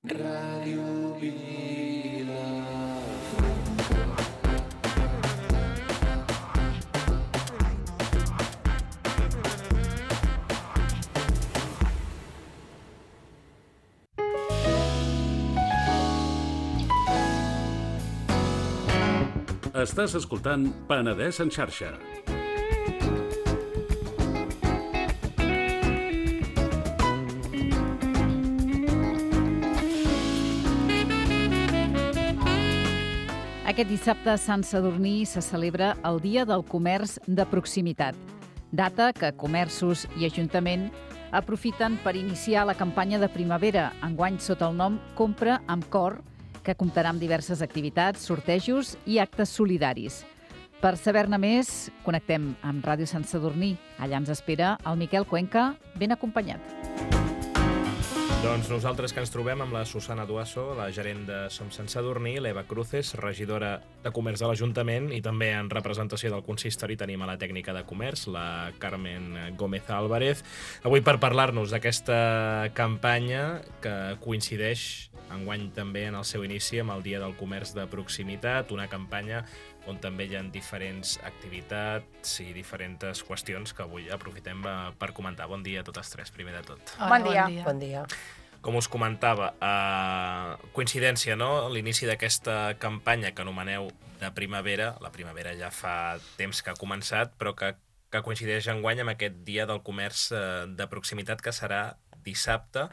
Ràdio Vila. Estàs escoltant Penedès en xarxa. Aquest dissabte a Sant Sadurní se celebra el Dia del Comerç de Proximitat, data que comerços i Ajuntament aprofiten per iniciar la campanya de primavera, enguany sota el nom Compra amb Cor, que comptarà amb diverses activitats, sortejos i actes solidaris. Per saber-ne més, connectem amb Ràdio Sant Sadurní. Allà ens espera el Miquel Cuenca, ben acompanyat. Doncs nosaltres que ens trobem amb la Susana Duasso, la gerent de Som Sant Sadurní, l'Eva Cruces, regidora de Comerç de l'Ajuntament, i també en representació del consistori tenim a la tècnica de comerç, la Carmen Gómez Álvarez. Avui per parlar-nos d'aquesta campanya que coincideix enguany també en el seu inici amb el Dia del Comerç de Proximitat, una campanya on també hi ha diferents activitats i diferents qüestions que avui aprofitem per comentar. Bon dia a totes tres, primer de tot. Hola, bon dia. Bon dia. Com us comentava, coincidència, no?, l'inici d'aquesta campanya que anomeneu de primavera. La primavera ja fa temps que ha començat, però que coincideix enguany amb aquest Dia del Comerç de Proximitat que serà dissabte.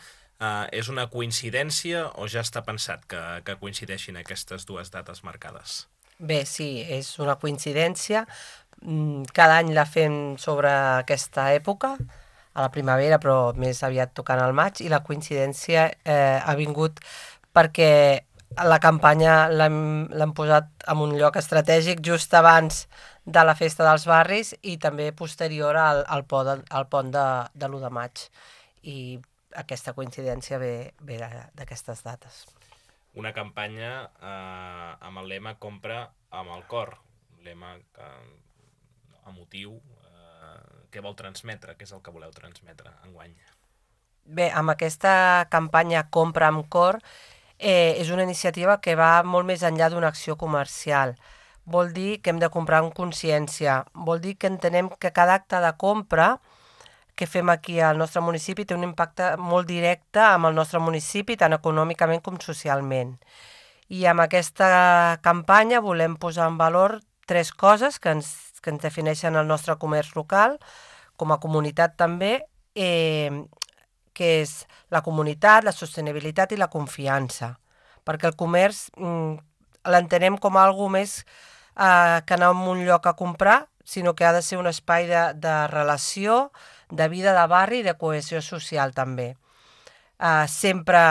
És una coincidència o ja està pensat que coincideixin aquestes dues dates marcades? Bé, sí, és una coincidència. Cada any la fem sobre aquesta època, a la primavera, però més aviat tocant al maig, i la coincidència ha vingut perquè la campanya l'hem posat en un lloc estratègic just abans de la festa dels barris i també posterior al pont de l'1 de maig. I aquesta coincidència ve d'aquestes dates. Una campanya amb el lema Compra amb el cor, lema emotiu. Què vol transmetre? Què és el que voleu transmetre enguany? Bé, amb aquesta campanya Compra amb cor és una iniciativa que va molt més enllà d'una acció comercial. Vol dir que hem de comprar amb consciència, vol dir que entenem que cada acte de compra que fem aquí al nostre municipi té un impacte molt directe amb el nostre municipi, tant econòmicament com socialment. I amb aquesta campanya volem posar en valor 3 coses que ens defineixen el nostre comerç local, com a comunitat també, que és la comunitat, la sostenibilitat i la confiança. Perquè el comerç l'entenem com algo més que anar a un lloc a comprar, sinó que ha de ser un espai de relació, de vida de barri i de cohesió social també. Sempre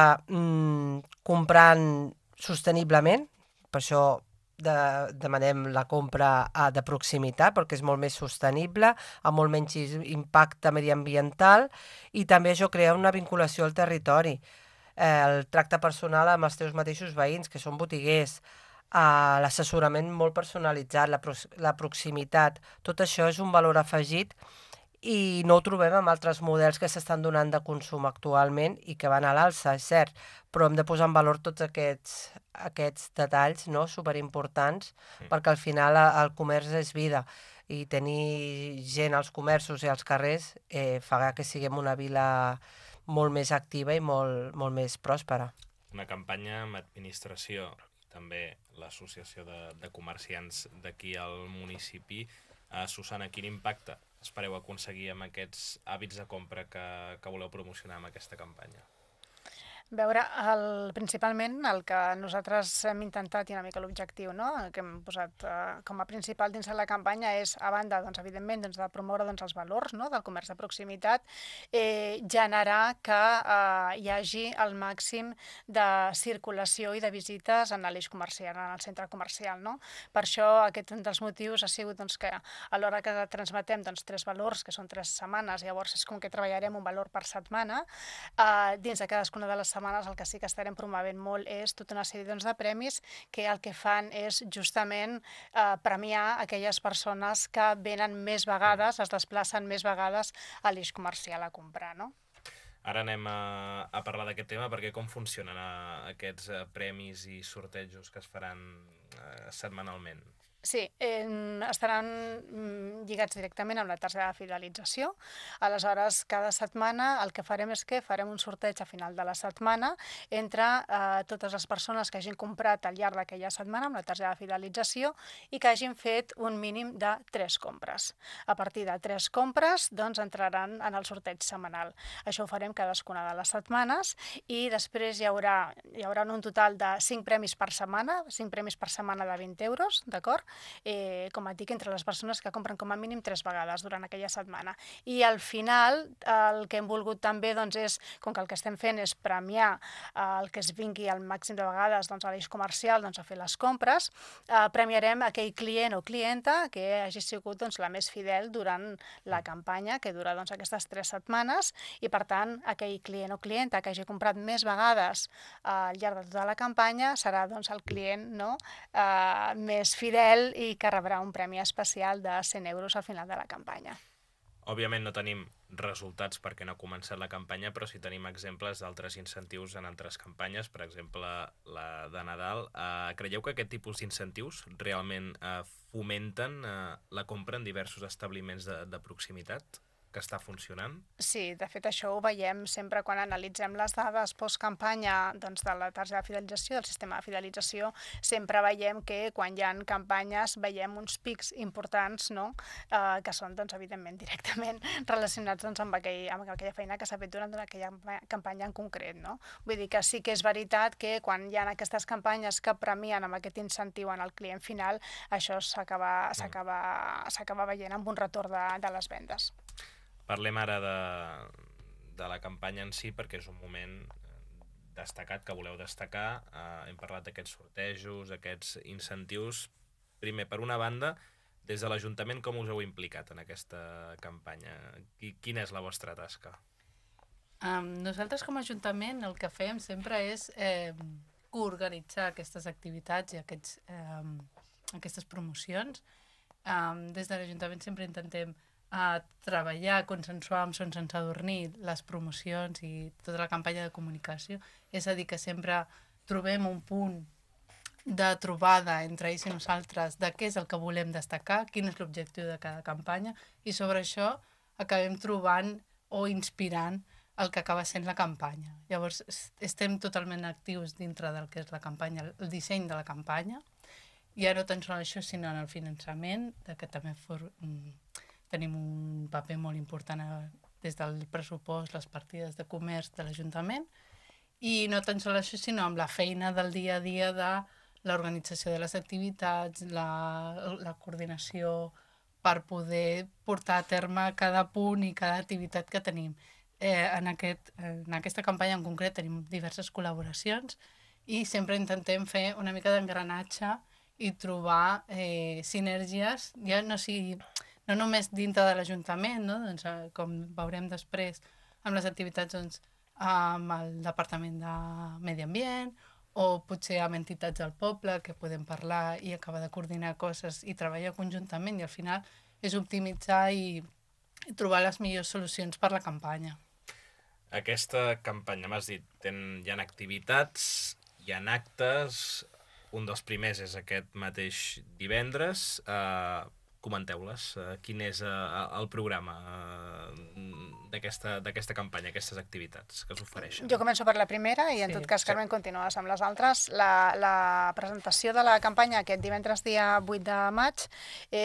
comprant sosteniblement, per això demanem la compra de proximitat, perquè és molt més sostenible, amb molt menys impacte mediambiental, i també això crea una vinculació al territori. El tracte personal amb els teus mateixos veïns, que són botiguers, l'assessorament molt personalitzat, la proximitat, tot això és un valor afegit i no ho trobem amb altres models que s'estan donant de consum actualment i que van a l'alça, és cert, però hem de posar en valor tots aquests detalls, no?, superimportants, perquè al final el comerç és vida i tenir gent als comerços i als carrers fa que siguem una vila molt més activa i molt més pròspera. Una campanya amb administració, també l'associació de comerciants d'aquí al municipi. Susana, quin impacte espereu aconseguir amb aquests hàbits de compra que voleu promocionar amb aquesta campanya? Veure, principalment el que nosaltres hem intentat i una mica l'objectiu, no?, que hem posat com a principal dins de la campanya és, a banda, doncs, evidentment, de promoure els valors, no?, del comerç de proximitat, generar que hi hagi el màxim de circulació i de visites en l'eix comercial, en el centre comercial, no? Per això aquest un dels motius ha sigut que a l'hora que transmetem 3 valors, que són 3 setmanes, llavors és com que treballarem un valor per setmana, dins de cadascuna de les setmanes el que sí que estarem promovent molt és tota una sèrie de premis que el que fan és justament premiar aquelles persones que venen més vegades, es desplacen més vegades a l'eix comercial a comprar, no? Ara anem a parlar d'aquest tema, perquè com funcionen aquests premis i sortejos que es faran setmanalment? Sí, estaran lligats directament amb la targeta de fidelització. Aleshores, cada setmana el que farem és que farem un sorteig a final de la setmana entre totes les persones que hagin comprat al llarg d'aquella setmana amb la targeta de fidelització i que hagin fet un mínim de 3 compres. A partir de 3 compres, doncs, entraran en el sorteig setmanal. Això ho farem cadascuna de les setmanes i després hi haurà un total de 5 premis per setmana, 5 premis per setmana de 20 euros, d'acord? Com et dic, entre les persones que compren com a mínim 3 vegades durant aquella setmana. I al final el que hem volgut també doncs, és, com que el que estem fent és premiar el que es vingui al màxim de vegades doncs, a l'eix comercial doncs, a fer les compres, premiarem aquell client o clienta que hagi sigut doncs, la més fidel durant la campanya, que dura doncs, aquestes 3 setmanes, i per tant aquell client o clienta que hagi comprat més vegades al llarg de tota la campanya serà doncs, el client més fidel i que rebrà un premi especial de 100 euros al final de la campanya. Òbviament no tenim resultats perquè no ha començat la campanya, però sí tenim exemples d'altres incentius en altres campanyes, per exemple la de Nadal. Creieu que aquest tipus d'incentius realment fomenten la compra en diversos establiments de proximitat? Que està funcionant? Sí, de fet això ho veiem sempre quan analitzem les dades postcampanya doncs, de la targeta de fidelització, del sistema de fidelització, sempre veiem que quan hi ha campanyes veiem uns pics importants, no? Que són doncs, evidentment directament relacionats doncs, amb aquella feina que s'ha fet durant aquella campanya en concret. No? Vull dir que sí que és veritat que quan hi ha aquestes campanyes que premien amb aquest incentiu en el client final, això s'acaba veient amb un retorn de les vendes. Parlem ara de la campanya en si, perquè és un moment destacat que voleu destacar. Hem parlat d'aquests sortejos, aquests incentius. Primer, per una banda, des de l'Ajuntament, com us heu implicat en aquesta campanya? Quina és la vostra tasca? Nosaltres com a Ajuntament el que fem sempre és coorganitzar aquestes activitats i aquestes promocions. Des de l'Ajuntament sempre intentem treballar, consensuar amb Son Sant Sadurní les promocions i tota la campanya de comunicació. És a dir, que sempre trobem un punt de trobada entre ells i nosaltres de què és el que volem destacar, quin és l'objectiu de cada campanya, i sobre això acabem trobant o inspirant el que acaba sent la campanya. Llavors, estem totalment actius dintre del que és la campanya, el disseny de la campanya, i ja no tan sols això, sinó en el finançament, que també tenim un paper molt important des del pressupost, les partides de comerç de l'Ajuntament, i no tan sols això, sinó amb la feina del dia a dia de l'organització de les activitats, la coordinació per poder portar a terme cada punt i cada activitat que tenim. En aquesta campanya en concret tenim diverses col·laboracions i sempre intentem fer una mica d'engranatge i trobar sinergies, ja no només dintre de l'Ajuntament, no? Doncs, com veurem després amb les activitats doncs, amb el Departament de Medi Ambient o potser amb entitats del poble que podem parlar i acabar de coordinar coses i treballar conjuntament, i al final és optimitzar i trobar les millors solucions per la campanya. Aquesta campanya, m'has dit, hi ha activitats, hi ha actes, un dels primers és aquest mateix divendres. Comenteu-les. Quin és el programa d'aquesta campanya, aquestes activitats que us ofereixen? Jo començo per la primera i en tot cas, Carmen, continues amb les altres. La presentació de la campanya aquest divendres dia 8 de maig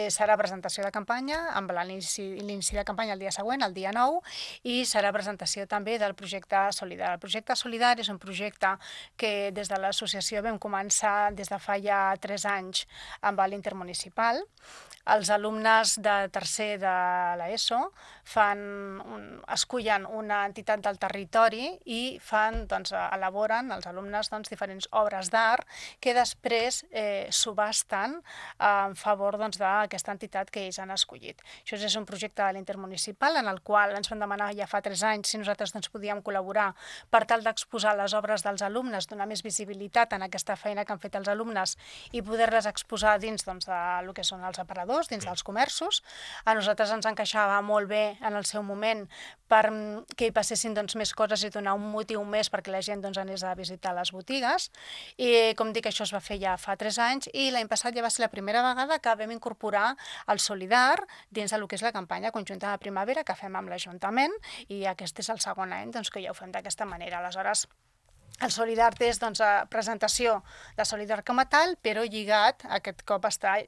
serà presentació de campanya amb l'inici de campanya el dia següent, el dia 9, i serà presentació també del projecte Solidar. El projecte Solidar és un projecte que des de l'associació vam començar des de fa ja 3 anys amb l'Intermunicipal. Els alumnes de tercer de l'ESO escullen una entitat del territori i elaboren els alumnes diferents obres d'art que després subhasten en favor d'aquesta entitat que ells han escollit. Això és un projecte de l'Intermunicipal en el qual ens van demanar ja fa 3 anys si nosaltres podíem col·laborar per tal d'exposar les obres dels alumnes, donar més visibilitat en aquesta feina que han fet els alumnes i poder-les exposar dins del que són els aparadors, dins dels comerços. A nosaltres ens encaixava molt bé en el seu moment perquè hi passessin més coses i donar un motiu més perquè la gent anés a visitar les botigues. I com dic, això es va fer ja fa 3 anys i l'any passat ja va ser la primera vegada que vam incorporar el Solidar dins del que és la campanya conjunta de primavera que fem amb l'Ajuntament i aquest és el segon any que ja ho fem d'aquesta manera. Aleshores, el Solidar és presentació de Solidar com a tal, però lligat, aquest cop està,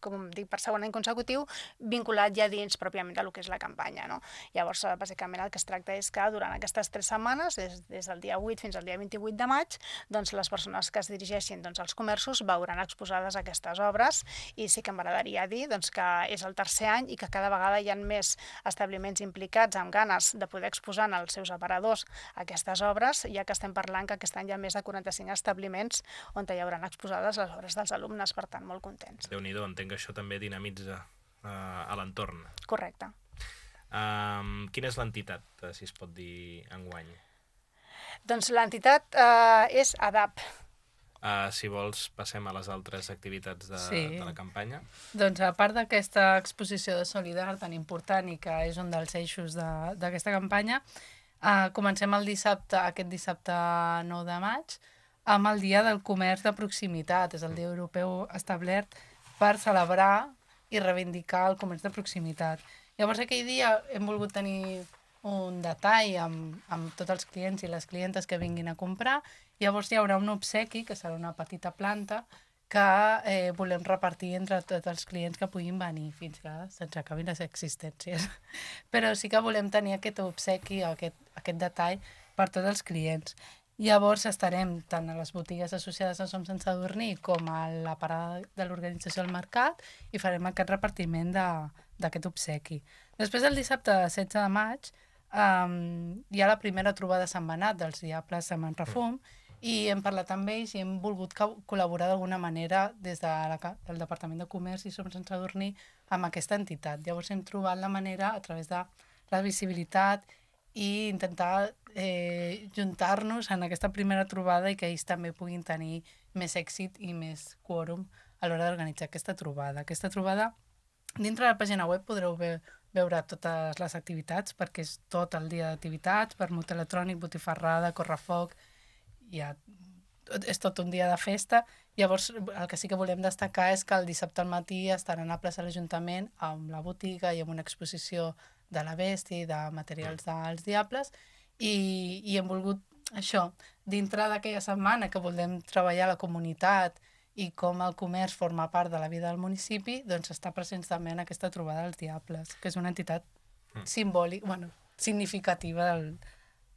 com dic, per segon any consecutiu, vinculat ja dins pròpiament del que és la campanya. No? Llavors, bàsicament, el que es tracta és que durant aquestes 3 setmanes, des del dia 8 fins al dia 28 de maig, les persones que es dirigeixin als comerços veuran exposades aquestes obres i sí que m'agradaria dir que és el tercer any i que cada vegada hi ha més establiments implicats amb ganes de poder exposar en els seus aparadors aquestes obres, ja que estem parlant que aquest any hi ha més de 45 establiments on hi hauran exposades les obres dels alumnes, per tant, molt contents. Déu-n'hi-do, entenc que això també dinamitza a l'entorn. Correcte. Quina és l'entitat, si es pot dir, enguany? Doncs l'entitat és ADAP. Si vols, passem a les altres activitats de la campanya. Doncs a part d'aquesta exposició de Solidar tan important i que és un dels eixos d'aquesta campanya, comencem aquest dissabte 9 de maig amb el Dia del Comerç de Proximitat. És el Dia Europeu establert per celebrar i reivindicar el comerç de proximitat. Llavors, aquell dia hem volgut tenir un detall amb tots els clients i les clientes que vinguin a comprar. Llavors hi haurà un obsequi, que serà una petita planta, que volem repartir entre tots els clients que puguin venir fins que se'ns acabin les existències. Però sí que volem tenir aquest obsequi, aquest detall per tots els clients. Llavors estarem tant a les botigues associades a Som Sant Sadurní com a la parada de l'organització al mercat i farem aquest repartiment d'aquest obsequi. Després, el dissabte 16 de maig, hi ha la primera trobada setmanal dels Diables de Manrefum i hem parlat amb ells i hem volgut col·laborar d'alguna manera des del Departament de Comerç i Som Sant Sadurní amb aquesta entitat. Llavors hem trobat la manera, a través de la visibilitat i intentar juntar-nos en aquesta primera trobada i que ells també puguin tenir més èxit i més quòrum a l'hora d'organitzar aquesta trobada. Aquesta trobada, dintre de la pàgina web podreu veure totes les activitats, perquè és tot el dia d'activitats, vermut electrònic, botifarrada, correfoc, és tot un dia de festa. Llavors, el que sí que volem destacar és que el dissabte al matí estaran a plaça de l'Ajuntament amb la botiga i amb una exposició de la bèstia i de materials dels Diables i hem volgut això, dintre d'aquella setmana que volem treballar a la comunitat i com el comerç forma part de la vida del municipi, doncs està present també en aquesta trobada dels Diables, que és una entitat simbòlica, significativa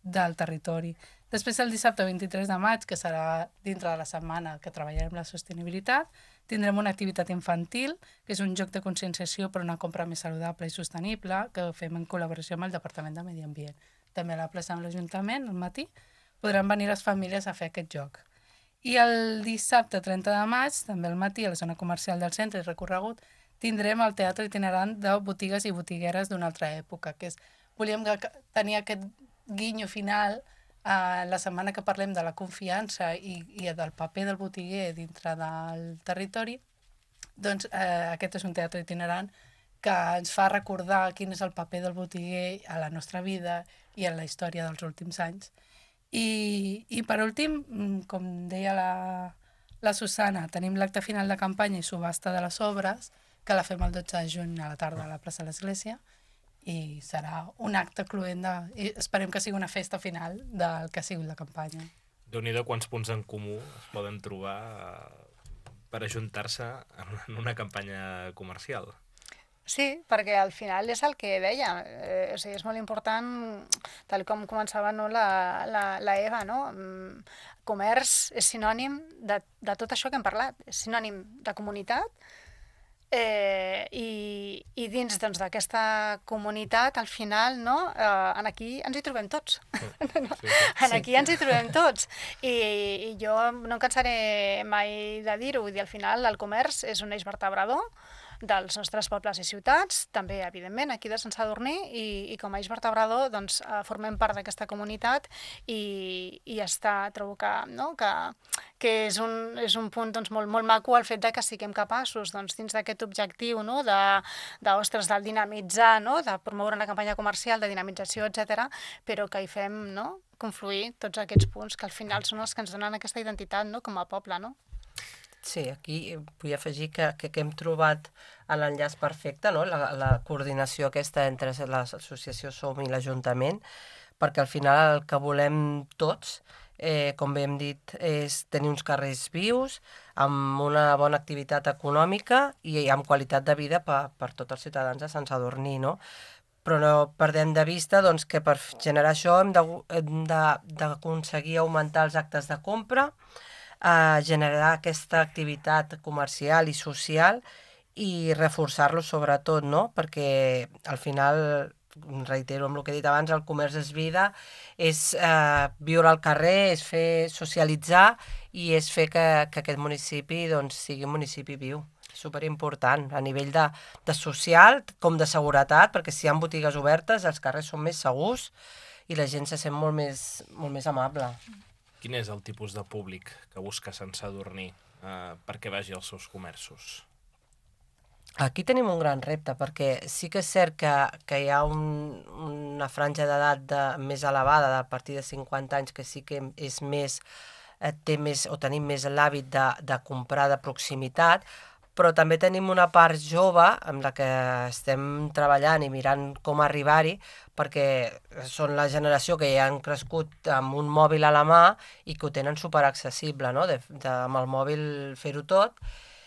del territori. Després, el dissabte 23 de maig, que serà dintre de la setmana que treballarem la sostenibilitat, tindrem una activitat infantil, que és un joc de conscienciació per una compra més saludable i sostenible, que fem en col·laboració amb el Departament de Medi Ambient. També a la plaça de l'Ajuntament, al matí, podran venir les famílies a fer aquest joc. I el dissabte 30 de maig, també al matí, a la zona comercial del centre i recorregut, tindrem el teatre itinerant de botigues i botigueres d'una altra època, que és, volíem tenir aquest guinyo final la setmana que parlem de la confiança i del paper del botiguer dintre del territori, doncs aquest és un teatre itinerant que ens fa recordar quin és el paper del botiguer a la nostra vida i en la història dels últims anys. I per últim, com deia la Susana, tenim l'acte final de campanya i subhasta de les obres, que la fem el 12 de juny a la tarda a la plaça de l'Església, i serà un acte cloent i esperem que sigui una festa final del que ha sigut la campanya. Déu-n'hi-do quants punts en comú es poden trobar per ajuntar-se en una campanya comercial. Sí, perquè al final és el que deia, o sigui, és molt important, tal com començava la Eva, no? Comerç és sinònim de tot això que hem parlat, és sinònim de comunitat, i dins d'aquesta comunitat, al final, aquí ens hi trobem tots. Aquí ens hi trobem tots. I jo no em cansaré mai de dir-ho, al final el comerç és un eix vertebrador dels nostres pobles i ciutats, també, evidentment, aquí de Sant Sadurní, i com a eix vertebrador formem part d'aquesta comunitat i trobo que que és un punt doncs, molt maco el fet de que siguem capaços doncs, dins d'aquest objectiu, no? Ostres, del dinamitzar, no? De promoure una campanya comercial, de dinamització, etc, però que hi fem, no? Confluir tots aquests punts que al final són els que ens donen aquesta identitat, no? Com a poble, no? Sí, aquí vull afegir que hem trobat l'enllaç perfecte, no? La coordinació aquesta entre l'associació Som i l'Ajuntament, perquè al final el que volem tots, com bé hem dit, és tenir uns carrers vius, amb una bona activitat econòmica i amb qualitat de vida per tots els ciutadans de Sant Sadurní, no? Però no perdem de vista doncs, que per generar això hem d'aconseguir augmentar els actes de compra, generar aquesta activitat comercial i social i reforçar-lo sobretot, no? Perquè al final, reitero amb el que he dit abans, el comerç és vida, és viure al carrer, és fer socialitzar i és fer que aquest municipi doncs, sigui un municipi viu. Superimportant, a nivell de social com de seguretat, perquè si hi ha botigues obertes els carrers són més segurs i la gent se sent molt més amable. Quin és el tipus de públic que busca Sant Sadurní perquè vagi als seus comerços? Aquí tenim un gran repte, perquè sí que és cert que hi ha una franja d'edat més elevada, a partir de 50 anys, que sí que és més, tenim més l'hàbit de comprar de proximitat, però també tenim una part jove amb la que estem treballant i mirant com arribar-hi, perquè són la generació que ja han crescut amb un mòbil a la mà i que ho tenen superaccessible, no? Amb el mòbil fer-ho tot,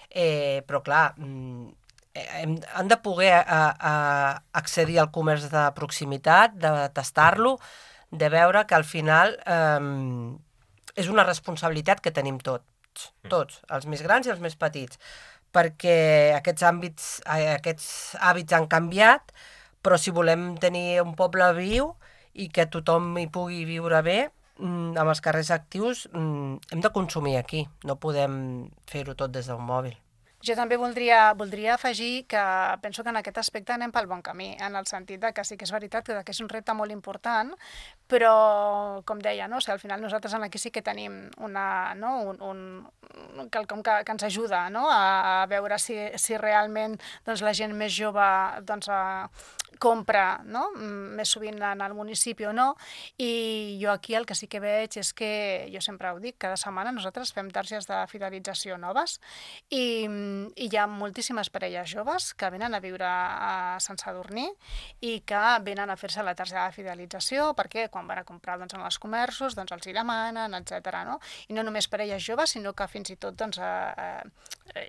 però clar, han de poder accedir al comerç de proximitat, de tastar-lo, de veure que al final és una responsabilitat que tenim tots, els més grans i els més petits, perquè aquests hàbits han canviat, però si volem tenir un poble viu i que tothom hi pugui viure bé, amb els carrers actius, hem de consumir aquí, no podem fer-ho tot des d'un mòbil. Jo també voldria afegir que penso que en aquest aspecte anem pel bon camí, en el sentit de que sí que és veritat que és un repte molt important, però, com deia, no? O sigui, al final nosaltres aquí sí que tenim quelcom que ens ajuda, no? A veure si realment doncs, la gent més jove doncs, compra, no? Més sovint en el municipi o no, i jo aquí el que sí que veig és que, jo sempre ho dic, cada setmana nosaltres fem targes de fidelització noves i hi ha moltíssimes parelles joves que venen a viure a Sant Sadurní i que venen a fer-se la targeta de fidelització perquè quan van a comprar doncs, en els comerços doncs, els hi demanen, etc. No? I no només parelles joves, sinó que fins i tot doncs,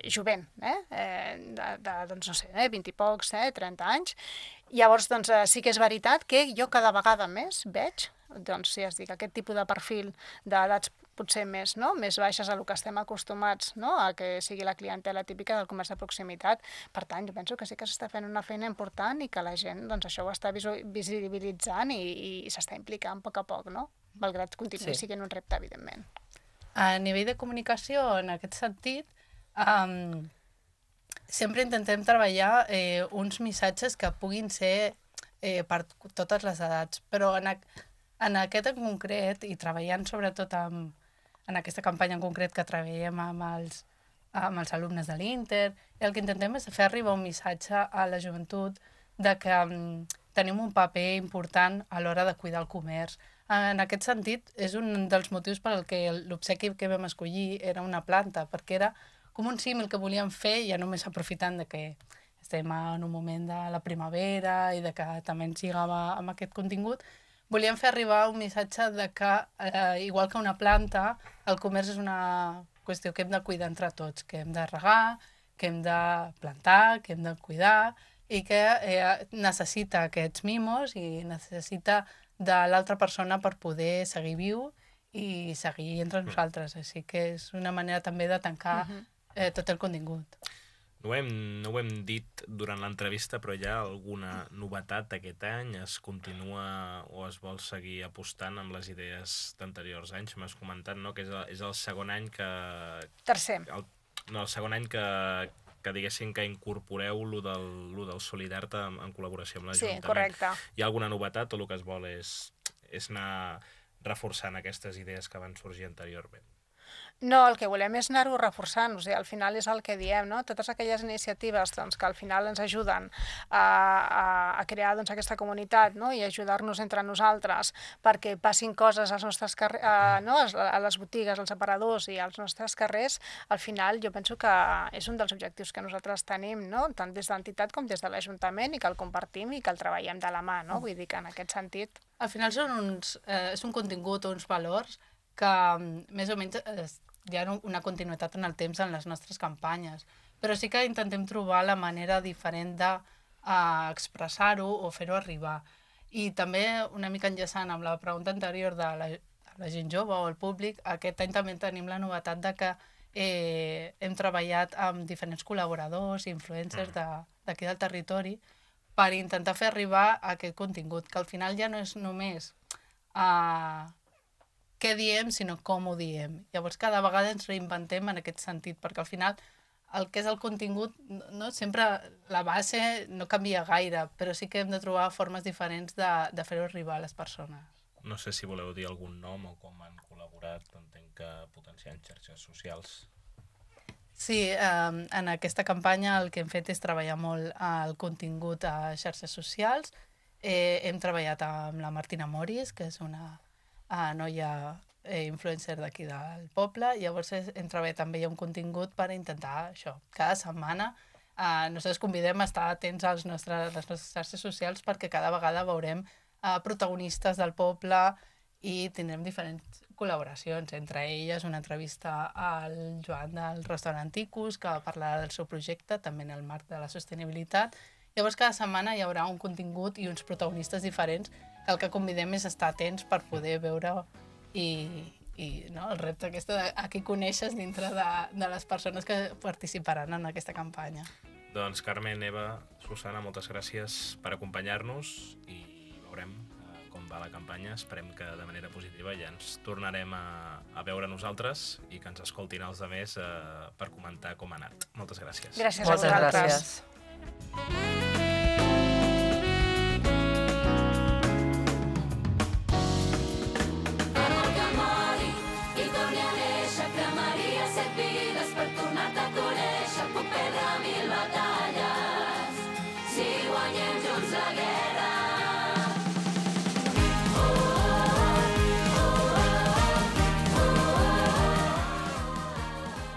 jovent, doncs, no sé, 20 i pocs, 30 anys. Llavors, doncs, sí que és veritat que jo cada vegada més veig, doncs, si es dic, aquest tipus de perfil d'edats potser més baixes a lo que estem acostumats, no? A que sigui la clientela típica del comerç de proximitat. Per tant, jo penso que sí que s'està fent una feina important i que la gent doncs, això ho està visibilitzant i s'està implicant a poc, no? Malgrat continuï sent un repte, evidentment. A nivell de comunicació, en aquest sentit, sempre intentem treballar uns missatges que puguin ser per totes les edats, però en aquest en concret, i treballant sobretot en aquesta campanya en concret que treballem amb els alumnes de l'Inter, el que intentem és fer arribar un missatge a la joventut de que tenim un paper important a l'hora de cuidar el comerç. En aquest sentit, és un dels motius per al que l'obsequi que vam escollir era una planta, perquè era com un símil que volíem fer, ja només aprofitant de que estem en un moment de la primavera i de que també ens lligava amb aquest contingut, volíem fer arribar un missatge de que, igual que una planta, el comerç és una qüestió que hem de cuidar entre tots, que hem de regar, que hem de plantar, que hem de cuidar i que necessita aquests mimos i necessita de l'altra persona per poder seguir viu i seguir entre nosaltres. Així que és una manera també de tancar tot el contingut. No ho hem dit durant l'entrevista, però hi ha alguna novetat aquest any? Es continua o es vol seguir apostant amb les idees d'anteriors anys? M'has comentat, no?, que és el segon any que... Tercer. El segon any que diguéssim que incorporeu lo del Solidart en col·laboració amb l'Ajuntament. Sí, correcte. Hi ha alguna novetat o el que es vol és anar reforçant aquestes idees que van sorgir anteriorment? No, el que volem és anar-ho reforçant, o sigui, al final és el que diem, no? Totes aquelles iniciatives doncs, que al final ens ajuden a crear doncs, aquesta comunitat, no? I ajudar-nos entre nosaltres perquè passin coses als nostres carrers, no? A les botigues, als aparadors i als nostres carrers, al final jo penso que és un dels objectius que nosaltres tenim, no? Tant des de l'entitat com des de l'Ajuntament, i que el compartim i que el treballem de la mà, no? Vull dir que en aquest sentit... Al final és un contingut o uns valors que més o menys hi ha una continuïtat en el temps en les nostres campanyes, però sí que intentem trobar la manera diferent d'expressar-ho o fer-ho arribar. I també, una mica enllaçant amb la pregunta anterior de la gent jove o el públic, aquest any també tenim la novetat de que hem treballat amb diferents col·laboradors i influencers d'aquí del territori per intentar fer arribar aquest contingut, que al final ja no és només què diem, sinó com ho diem. Llavors, cada vegada ens reinventem en aquest sentit, perquè al final el que és el contingut, no? Sempre la base no canvia gaire, però sí que hem de trobar formes diferents de fer-ho arribar a les persones. No sé si voleu dir algun nom o com han col·laborat, entenc que potenciant xarxes socials. Sí, en aquesta campanya el que hem fet és treballar molt el contingut a xarxes socials. Hem treballat amb la Martina Moris, que és una noia influencer d'aquí del poble. Llavors hem treballat també un contingut per intentar això. Cada setmana nosaltres convidem a estar atents a les nostres xarxes socials perquè cada vegada veurem protagonistes del poble i tindrem diferents col·laboracions. Entre elles una entrevista al Joan del restaurant Ticus, que parlarà del seu projecte, també en el marc de la sostenibilitat. Llavors cada setmana hi haurà un contingut i uns protagonistes diferents que el que convidem és estar atents per poder veure i no, el repte aquest a qui coneixes dintre de les persones que participaran en aquesta campanya. Doncs Carmen, Eva, Susana, moltes gràcies per acompanyar-nos i veurem com va la campanya. Esperem que de manera positiva ja ens tornarem a veure nosaltres i que ens escoltin els altres per comentar com ha anat. Moltes gràcies. Gràcies a vosaltres. Gràcies.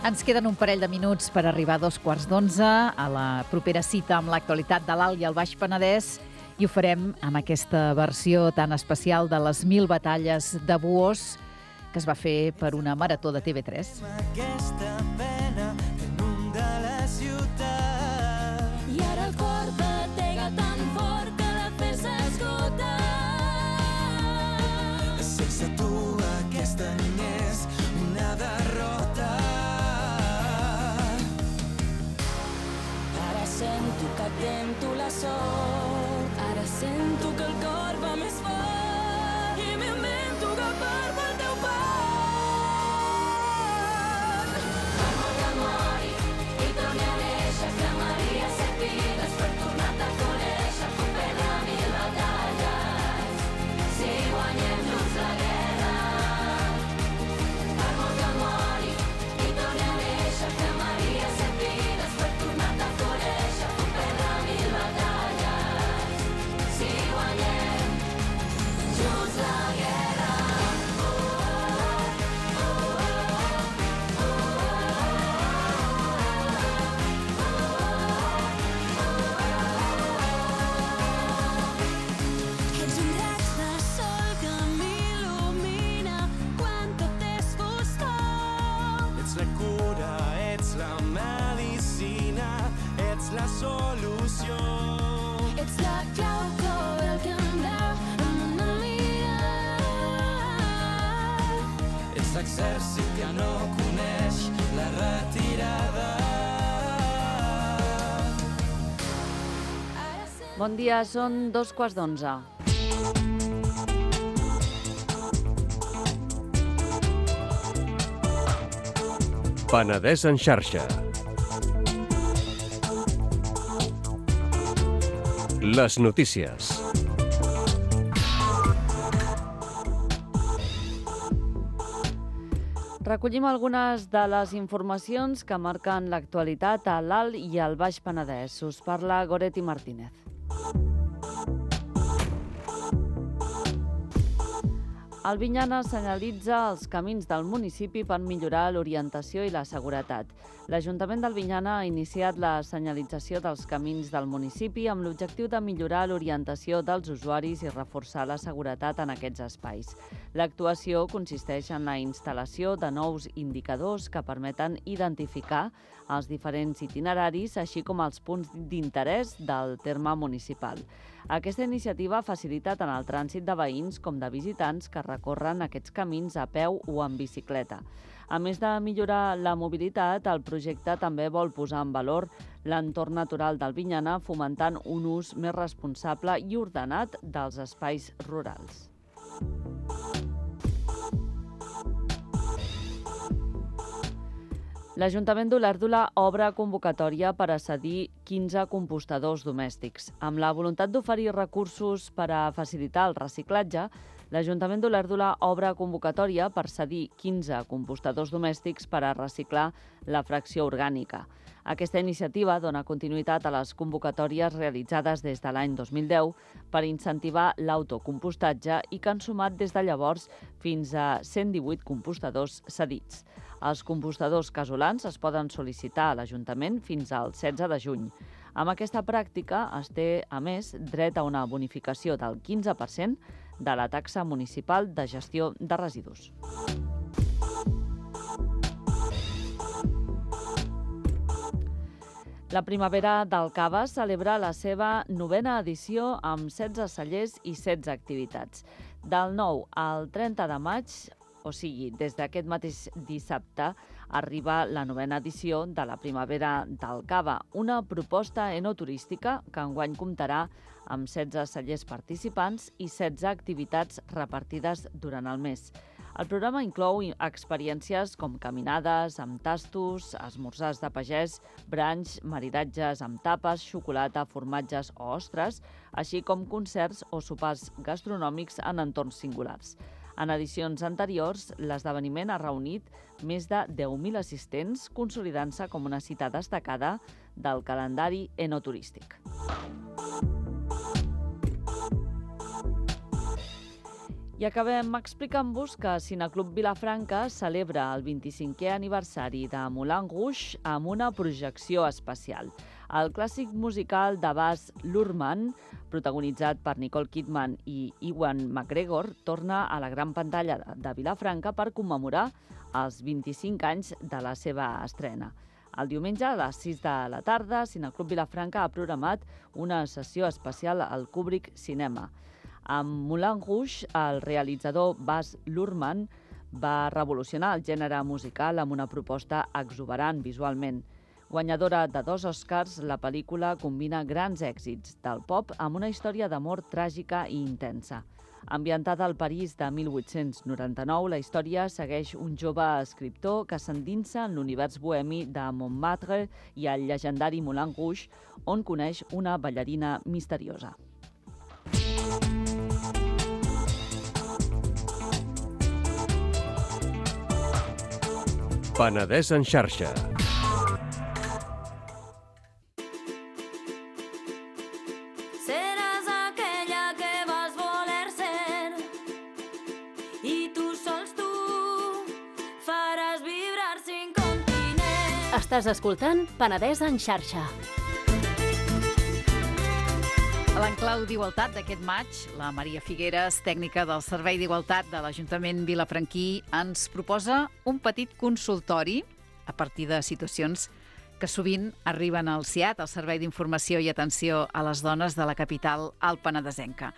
Ens queden un parell de minuts per arribar a 2:15 a la propera cita amb l'actualitat de l'Alt i el Baix Penedès i ho farem amb aquesta versió tan especial de les 1000 batalles de Buós que es va fer per una marató de TV3. Aquesta pena que inunda la ciutat i ara el cor batega tan fort que la fe s'esgota. Sense tu aquest any és una derrota. Sento que tento la sort, ara sento que el cor va més fort i m'invento que parlo el teu part. Amor que mori i torni a néixer, cremaria 7 vides per tornar-te a conèixer, puc perdre 1000 batalles si guanyem junts la guerra. Amor que mori i torni a néixer, cremaria 7 vides per tornar-te a conèixer. La solució. Ets la clau que obre el candau amb una mirada. Ets l'exèrcit que no coneix la retirada. Bon dia, són 2:15. Penedès en xarxa. Les notícies. Recollim algunes de les informacions que marquen l'actualitat a l'Alt i al Baix Penedès. Us parla Goretti Martínez. Albinyana senyalitza els camins del municipi per millorar l'orientació i la seguretat. L'Ajuntament d'Albinyana ha iniciat la senyalització dels camins del municipi amb l'objectiu de millorar l'orientació dels usuaris i reforçar la seguretat en aquests espais. L'actuació consisteix en la instal·lació de nous indicadors que permeten identificar els diferents itineraris, així com els punts d'interès del terme municipal. Aquesta iniciativa ha facilitat tant el trànsit de veïns com de visitants que recorren aquests camins a peu o en bicicleta. A més de millorar la mobilitat, el projecte també vol posar en valor l'entorn natural d'Albinyana, fomentant un ús més responsable i ordenat dels espais rurals. L'Ajuntament d'Olèrdola obre convocatòria per a cedir 15 compostadors domèstics. Amb la voluntat d'oferir recursos per a facilitar el reciclatge, l'Ajuntament d'Olèrdola obre convocatòria per cedir 15 compostadors domèstics per a reciclar la fracció orgànica. Aquesta iniciativa dona continuïtat a les convocatòries realitzades des de l'any 2010 per incentivar l'autocompostatge i que han sumat des de llavors fins a 118 compostadors cedits. Els compostadors casolans es poden sol·licitar a l'Ajuntament fins al 16 de juny. Amb aquesta pràctica es té, a més, dret a una bonificació del 15% de la taxa municipal de gestió de residus. La Primavera del Cava celebra la seva 9a edició amb 16 cellers i 16 activitats. Del 9 al 30 de maig, o sigui, des d'aquest mateix dissabte, arriba la 9a edició de la Primavera del Cava, una proposta enoturística que enguany comptarà amb 16 cellers participants i 16 activitats repartides durant el mes. El programa inclou experiències com caminades amb tastos, esmorzars de pagès, branys, maridatges amb tapes, xocolata, formatges o ostres, així com concerts o sopars gastronòmics en entorns singulars. En edicions anteriors, l'esdeveniment ha reunit més de 10.000 assistents, consolidant-se com una cita destacada del calendari enoturístic. I acabem explicant-vos que Cineclub Vilafranca celebra el 25è aniversari de Moulin Rouge amb una projecció especial. El clàssic musical de Baz Luhrmann, protagonitzat per Nicole Kidman i Ewan McGregor, torna a la gran pantalla de Vilafranca per commemorar els 25 anys de la seva estrena. El diumenge a les 6 de la tarda, Cineclub Vilafranca ha programat una sessió especial al Kubrick Cinema. Amb Moulin Rouge, el realitzador Baz Luhrmann va revolucionar el gènere musical amb una proposta exuberant visualment. Guanyadora de 2 Oscars, la pel·lícula combina grans èxits del pop amb una història d'amor tràgica i intensa. Ambientada al París de 1899, la història segueix un jove escriptor que s'endinsa en l'univers bohemi de Montmartre i el llegendari Moulin Rouge, on coneix una ballarina misteriosa. Penedès en xarxa. Seràs aquella que vas voler ser i tu sols tu faràs vibrar 5 continents. Estàs escoltant Penedès en xarxa. A l'enclau d'Igualtat d'aquest maig, la Maria Figueres, tècnica del Servei d'Igualtat de l'Ajuntament vilafranquí, ens proposa un petit consultori a partir de situacions que sovint arriben al CIAT, al Servei d'Informació i Atenció a les Dones de la capital alpenedesenca.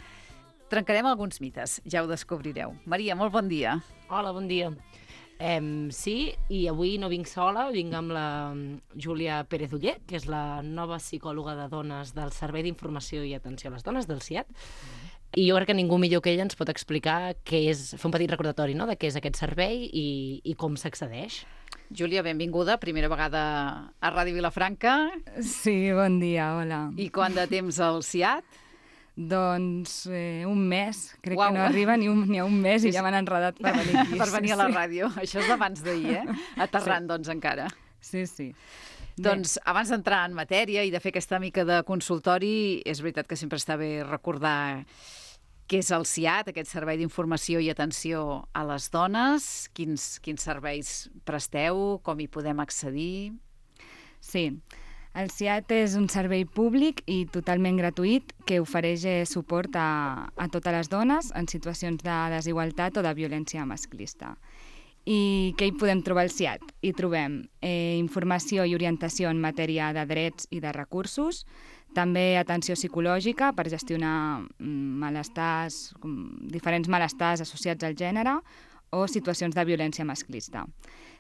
Trencarem alguns mites, ja ho descobrireu. Maria, molt bon dia. Hola, bon dia. Sí, i avui no vinc sola, vinc amb la Júlia Pérez Uller, que és la nova psicòloga de dones del Servei d'Informació i Atenció a les Dones, del CIAT. I jo crec que ningú millor que ella ens pot explicar què és, fer un petit recordatori, no?, de què és aquest servei i com s'accedeix. Júlia, benvinguda, primera vegada a Ràdio Vilafranca. Sí, bon dia, hola. I quant de temps al CIAT? Doncs un mes, crec Uau. que no arriba ni a un mes i ja m'han enredat per venir aquí. Per venir a la ràdio. Això és d'abans d'ahir, Aterrant, doncs, encara. Sí, sí. Doncs, abans d'entrar en matèria i de fer aquesta mica de consultori, és veritat que sempre està bé recordar què és el SIAT, aquest servei d'informació i atenció a les dones, quins serveis presteu, com hi podem accedir... Sí, el SIAT és un servei públic i totalment gratuït que ofereix suport a totes les dones en situacions de desigualtat o de violència masclista. I què hi podem trobar al SIAT? Hi trobem informació i orientació en matèria de drets i de recursos, també atenció psicològica per gestionar malestars, diferents malestars associats al gènere o situacions de violència masclista.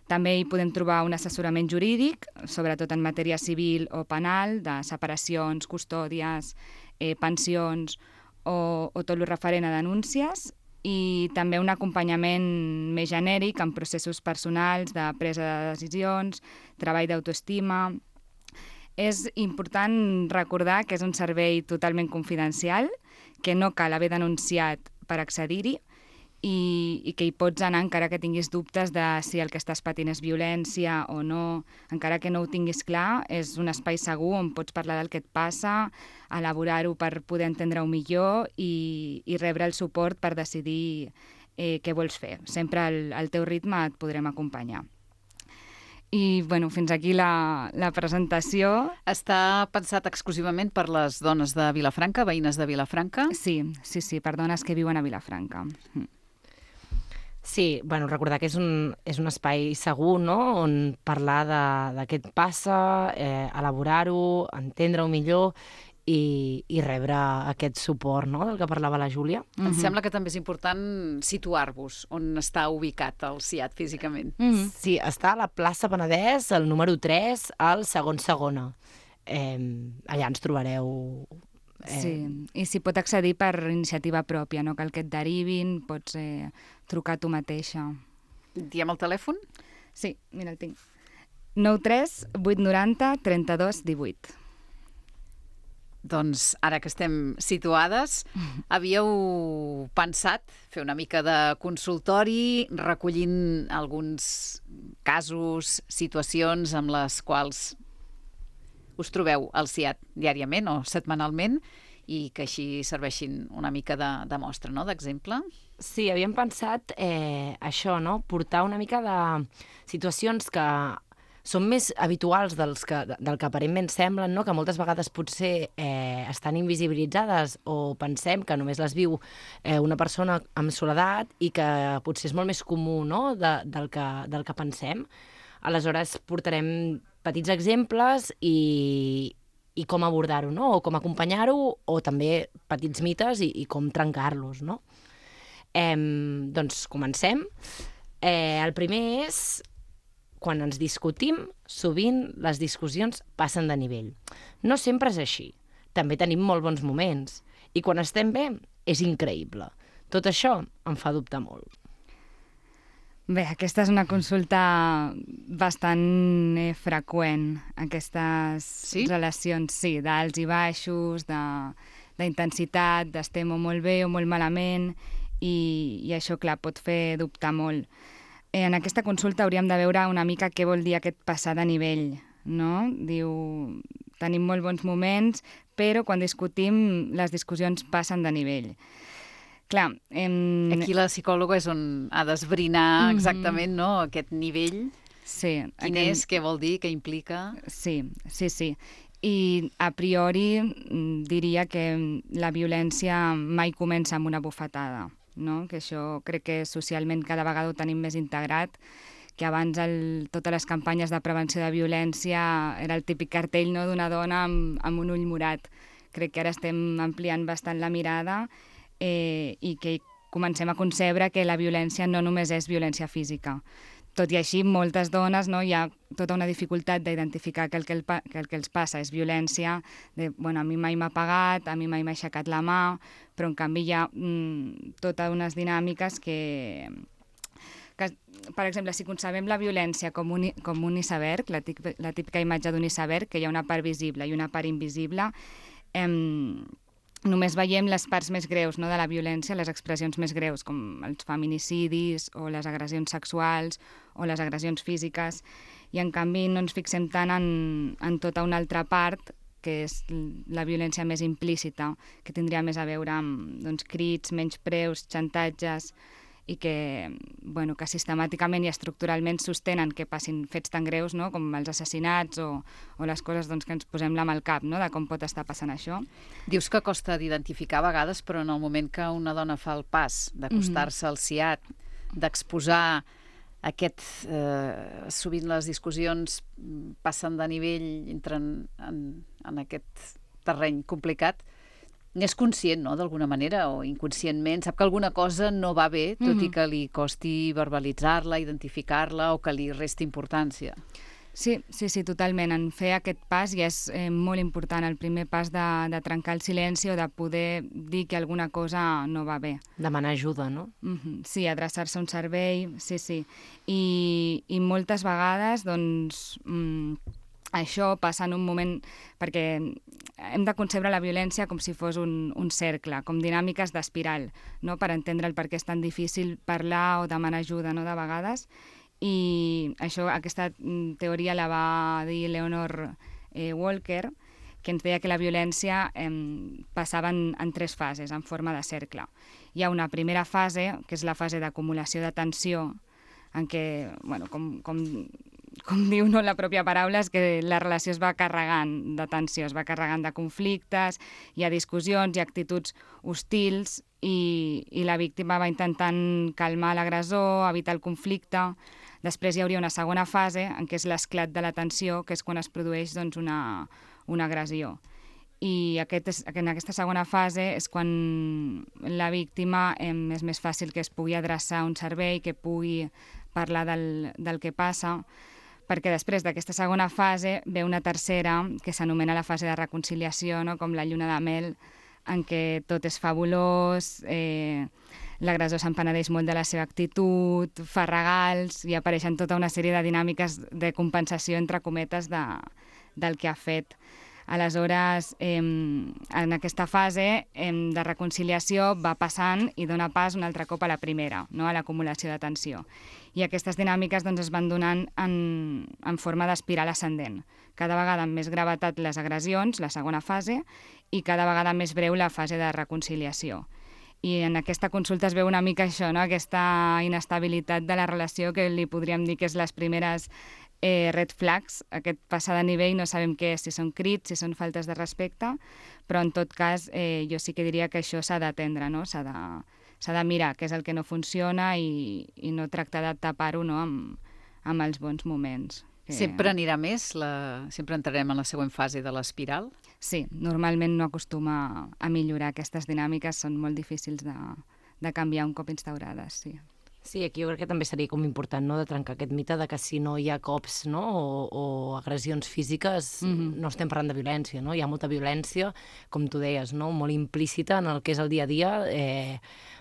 També hi podem trobar un assessorament jurídic, sobretot en matèria civil o penal, de separacions, custòdies, pensions o tot el referent a denúncies, i també un acompanyament més genèric en processos personals de presa de decisions, treball d'autoestima. És important recordar que és un servei totalment confidencial, que no cal haver denunciat per accedir-hi i que hi pots anar encara que tinguis dubtes de si el que estàs patint és violència o no. Encara que no ho tinguis clar, és un espai segur on pots parlar del que et passa, elaborar-ho per poder entendre-ho millor i rebre el suport per decidir què vols fer. Sempre al teu ritme et podrem acompanyar. I bueno, fins aquí la presentació. Està pensat exclusivament per les dones de Vilafranca, veïnes de Vilafranca? Sí, per dones que viuen a Vilafranca. Sí, bueno, recordar que és un espai segur, no?, on parlar de què et passa, elaborar-ho, entendre-ho millor i rebre aquest suport, no?, del que parlava la Júlia. Em sembla que també és important situar-vos on està ubicat el SIAT físicament. Sí, està a la plaça Penedès, el número 3, al segona. Allà ens trobareu... Sí, i s'hi pot accedir per iniciativa pròpia, no cal que et derivin, pots trucar tu mateixa. Diem el telèfon? Sí, mira, el tinc. 93 890 32 18. Doncs ara que estem situades, havíeu pensat fer una mica de consultori recollint alguns casos, situacions amb les quals us trobeu al SIAT diàriament o setmanalment i que així serveixin una mica de mostra, no?, d'exemple? Sí, havíem pensat això, no?, portar una mica de situacions que són més habituals del que aparentment semblen, no?, que moltes vegades potser estan invisibilitzades o pensem que només les viu una persona amb soledat i que potser és molt més comú, no?, del que pensem. Aleshores portarem petits exemples i com abordar-ho, no?, o com acompanyar-ho, o també petits mites i com trencar-los, no? Doncs comencem. El primer és quan ens discutim, sovint les discussions passen de nivell. No sempre és així. També tenim molt bons moments. I quan estem bé, és increïble. Tot això em fa dubtar molt. Bé, aquesta és una consulta bastant freqüent, aquestes relacions, sí, d'alts i baixos, d'intensitat, d'estem o molt bé o molt malament, i això, clar, pot fer dubtar molt. En aquesta consulta hauríem de veure una mica què vol dir aquest passar de nivell, no? Diu, tenim molt bons moments, però quan discutim les discussions passen de nivell. Clar, aquí la psicòloga és on ha d'esbrinar exactament, no?, aquest nivell. Sí. Quin és, què vol dir, què implica? Sí. I a priori diria que la violència mai comença amb una bufetada, no? Que això crec que socialment cada vegada ho tenim més integrat, que abans totes les campanyes de prevenció de violència era el típic cartell, no?, d'una dona amb un ull morat. Crec que ara estem ampliant bastant la mirada i que comencem a concebre que la violència no només és violència física. Tot i així, moltes dones, no, hi ha tota una dificultat d'identificar que el que els passa és violència, a mi mai m'ha pegat, a mi mai m'ha aixecat la mà, però en canvi hi ha totes unes dinàmiques que, per exemple, si concebem la violència com un iceberg, la típica imatge d'un iceberg, que hi ha una part visible i una part invisible, només veiem les parts més greus, no?, de la violència, les expressions més greus, com els feminicidis o les agressions sexuals o les agressions físiques, i en canvi no ens fixem tant en tota una altra part, que és la violència més implícita, que tindria més a veure amb, doncs, crits, menyspreus, xantatges, i que sistemàticament i estructuralment sostenen que passin fets tan greus, no?, com els assassinats o les coses, doncs, que ens posem la mà al cap, no?, de com pot estar passant això. Dius que costa d'identificar a vegades, però en el moment que una dona fa el pas d'acostar-se al CIAT, d'exposar aquest... sovint les discussions passen de nivell, entren en aquest terreny complicat, n'és conscient, no?, d'alguna manera, o inconscientment, sap que alguna cosa no va bé, tot i que li costi verbalitzar-la, identificar-la, o que li resti importància. Sí, totalment. En fer aquest pas ja és molt important, el primer pas de trencar el silenci o de poder dir que alguna cosa no va bé. Demanar ajuda, no? Sí, adreçar-se a un servei, sí. I moltes vegades, doncs... això passa en un moment, perquè hem de concebre la violència com si fos un cercle, com dinàmiques d'espiral, no?, per entendre el per què és tan difícil parlar o demanar ajuda, no?, de vegades. I aquesta teoria la va dir Leonor Walker, que ens deia que la violència passava en 3 fases, en forma de cercle. Hi ha una primera fase, que és la fase d'acumulació de tensió, en què, com diu, no, la pròpia paraula, és que la relació es va carregant de tensió, es va carregant de conflictes, hi ha discussions, hi ha actituds hostils i la víctima va intentant calmar l'agressor, evitar el conflicte. Després hi hauria una segona fase, en què és l'esclat de la tensió, que és quan es produeix, doncs, una agressió. I en aquesta segona fase és quan la víctima és més fàcil que es pugui adreçar a un servei, que pugui parlar del que passa, perquè després d'aquesta segona fase ve una tercera, que s'anomena la fase de reconciliació, no?, com la lluna de mel, en què tot és fabulós, l'agressor s'empenedeix molt de la seva actitud, fa regals, i apareixen tota una sèrie de dinàmiques de compensació, entre cometes, del que ha fet. Aleshores, en aquesta fase de reconciliació va passant i dona pas un altre cop a la primera, no?, a l'acumulació de tensió. I aquestes dinàmiques, doncs, es van donant en forma d'espiral ascendent. Cada vegada amb més gravetat les agressions, la segona fase, i cada vegada més breu la fase de reconciliació. I en aquesta consulta es veu una mica això, no?, aquesta inestabilitat de la relació, que li podríem dir que és les primeres red flags, aquest passar de nivell, no sabem què és, si són crits, si són faltes de respecte, però en tot cas jo sí que diria que això s'ha d'atendre, no? S'ha de mirar què és el que no funciona i no tractar de tapar-ho, no?, amb els bons moments. Sempre anirà més? Sempre entrarem en la següent fase de l'espiral? Sí, normalment no acostuma a millorar. Aquestes dinàmiques són molt difícils de canviar un cop instaurades, sí. Sí, aquí jo crec que també seria com important, no?, de trencar aquest mite de que si no hi ha cops, no?, o agressions físiques, no estem parlant de violència, no? Hi ha molta violència, com tu deies, no?, molt implícita en el que és el dia a dia,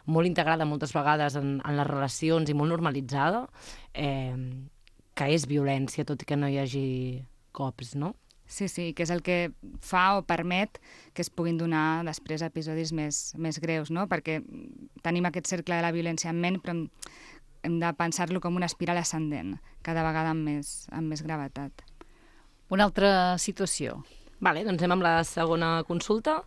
molt integrada moltes vegades en les relacions i molt normalitzada, que és violència, tot i que no hi hagi cops, no? Sí, que és el que fa o permet que es puguin donar després episodis més greus, no? Perquè tenim aquest cercle de la violència en ment, però hem de pensar-lo com una espiral ascendent, cada vegada amb més gravetat. Una altra situació. Vale, doncs anem amb la segona consulta.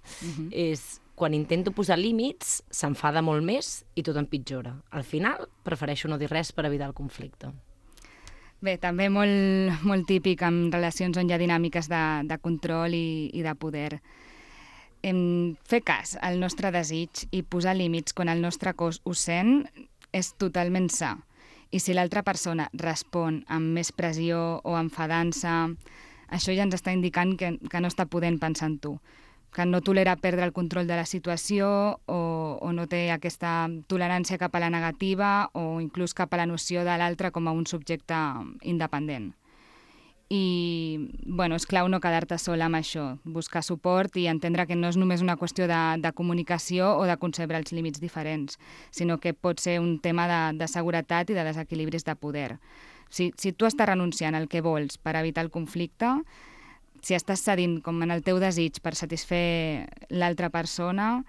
És quan intento posar límits, s'enfada molt més i tot empitjora. Al final, prefereixo no dir res per evitar el conflicte. Bé, també molt típic en relacions on hi ha dinàmiques de control i de poder. Fer cas al nostre desig i posar límits quan el nostre cos ho sent és totalment sa. I si l'altra persona respon amb més pressió o enfadant-se, això ja ens està indicant que no està podent pensar en tu, que no tolera perdre el control de la situació o no té aquesta tolerància cap a la negativa o inclús cap a la noció de l'altre com a un subjecte independent. I, és clau no quedar-te sola amb això, buscar suport i entendre que no és només una qüestió de comunicació o de concebre els límits diferents, sinó que pot ser un tema de seguretat i de desequilibris de poder. Si tu estàs renunciant al que vols per evitar el conflicte, si estàs cedint com en el teu desig per satisfer l'altra persona,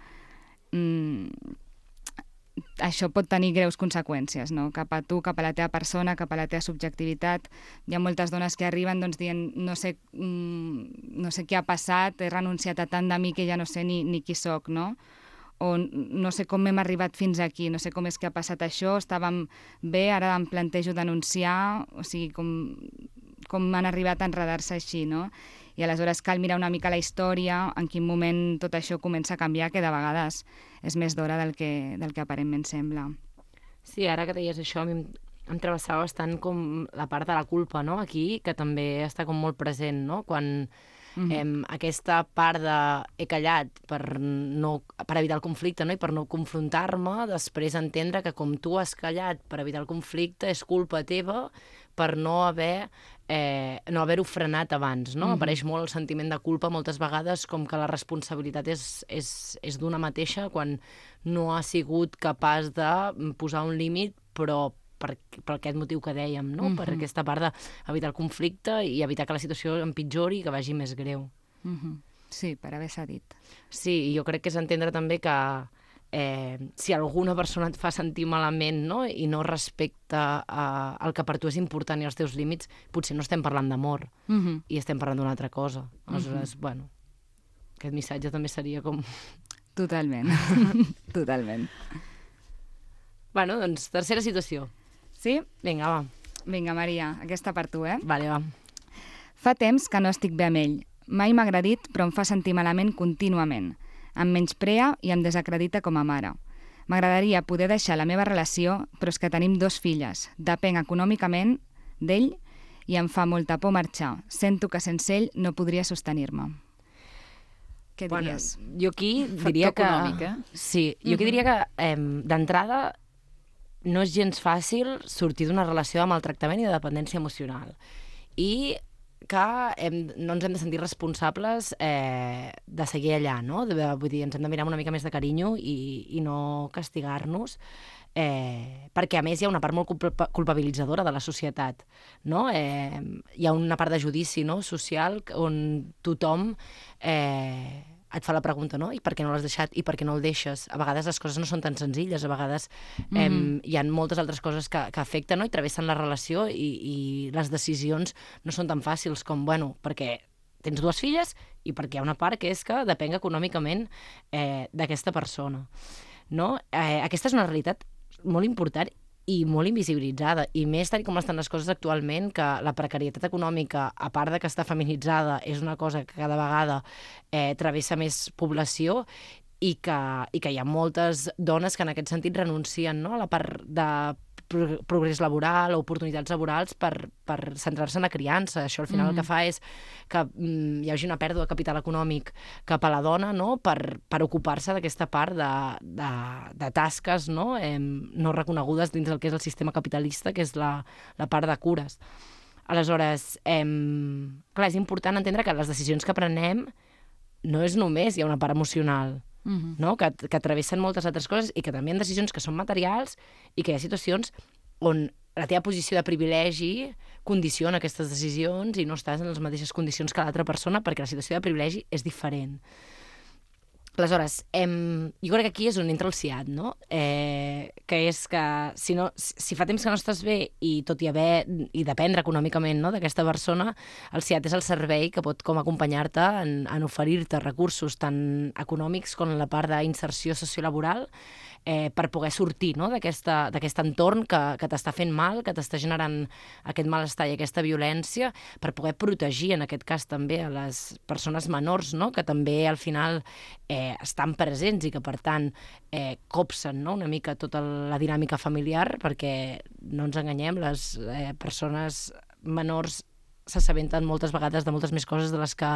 això pot tenir greus conseqüències, no? Cap a tu, cap a la teva persona, cap a la teva subjectivitat. Hi ha moltes dones que arriben dient no sé què ha passat, he renunciat a tant de mi que ja no sé ni qui soc, no? O no sé com hem arribat fins aquí, no sé com és que ha passat això, estàvem bé, ara em plantejo denunciar, o sigui, com han arribat a enredar-se així, no? I aleshores cal mirar una mica la història, en quin moment tot això comença a canviar, que de vegades és més d'hora del que aparentment sembla. Sí, ara que deies això, a mi em travessava bastant com la part de la culpa, no?, aquí, que també està com molt present, no?, quan aquesta part de he callat per evitar el conflicte, no?, i per no confrontar-me, després entendre que com tu has callat per evitar el conflicte és culpa teva per no haver-ho frenat abans, no? Apareix molt el sentiment de culpa moltes vegades, com que la responsabilitat és d'una mateixa quan no ha sigut capaç de posar un límit, però per aquest motiu que dèiem, no? Per aquesta part d'evitar el conflicte i evitar que la situació empitjori i que vagi més greu. Sí, per haver cedit. Sí, i jo crec que és entendre també que si alguna persona et fa sentir malament, no?, i no respecta el que per tu és important i els teus límits, potser no estem parlant d'amor i estem parlant d'una altra cosa. Aleshores, bueno, aquest missatge també seria com... Totalment, totalment. Bueno, doncs, tercera situació. Sí? Vinga, va. Vinga, Maria, aquesta per tu, Vale, va. Fa temps que no estic bé amb ell. Mai m'ha agredit, però em fa sentir malament contínuament. Em menysprea i em desacredita com a mare. M'agradaria poder deixar la meva relació, però és que tenim 2 filles. Depenc econòmicament d'ell i em fa molta por marxar. Sento que sense ell no podria sostenir-me. Què diries? Jo aquí diria que... Factor econòmic, Sí, jo aquí diria que d'entrada no és gens fàcil sortir d'una relació de maltractament i de dependència emocional. I que no ens hem de sentir responsables de seguir allà, no? Vull dir, ens hem de mirar amb una mica més de carinyo i no castigar-nos, perquè a més hi ha una part molt culpabilitzadora de la societat, no? Hi ha una part de judici, no?, social on tothom et fa la pregunta, no?, i per què no l'has deixat i per què no el deixes? A vegades les coses no són tan senzilles, a vegades hi ha moltes altres coses que afecten, no?, i travessen la relació i les decisions no són tan fàcils com, bueno, perquè tens 2 filles i perquè hi ha una part que és que depenc econòmicament d'aquesta persona, no? Aquesta és una realitat molt important i molt invisibilitzada, i més tal com estan les coses actualment, que la precarietat econòmica, a part de que està feminitzada, és una cosa que cada vegada travessa més població i que hi ha moltes dones que en aquest sentit renuncien, no?, a la part de progrés laboral o oportunitats laborals per centrar-se en la criança. Això al final el que fa és que hi hagi una pèrdua de capital econòmic cap a la dona, no?, per ocupar-se d'aquesta part de tasques, no?, no reconegudes dins del que és el sistema capitalista, que és la part de cures. Aleshores, clar, és important entendre que les decisions que prenem no és només hi ha una part emocional, no?, que travessen moltes altres coses i que també hi ha decisions que són materials i que hi ha situacions on la teva posició de privilegi condiciona aquestes decisions i no estàs en les mateixes condicions que l'altra persona perquè la situació de privilegi és diferent. Aleshores, jo crec que aquí és on entra el SIAD, no?, que és que si fa temps que no estàs bé i tot i dependre econòmicament, no?, d'aquesta persona, el SIAD és el servei que pot com acompanyar-te en oferir-te recursos tant econòmics com en la part d'inserció sociolaboral per poder sortir, no?, d'aquest entorn que t'està fent mal, que t'està generant aquest malestar i aquesta violència, per poder protegir, en aquest cas també, a les persones menors, no?, que també al final estan presents i que, per tant, copsen, no?, una mica tota la dinàmica familiar, perquè, no ens enganyem, les persones menors s'assabenten moltes vegades de moltes més coses de les que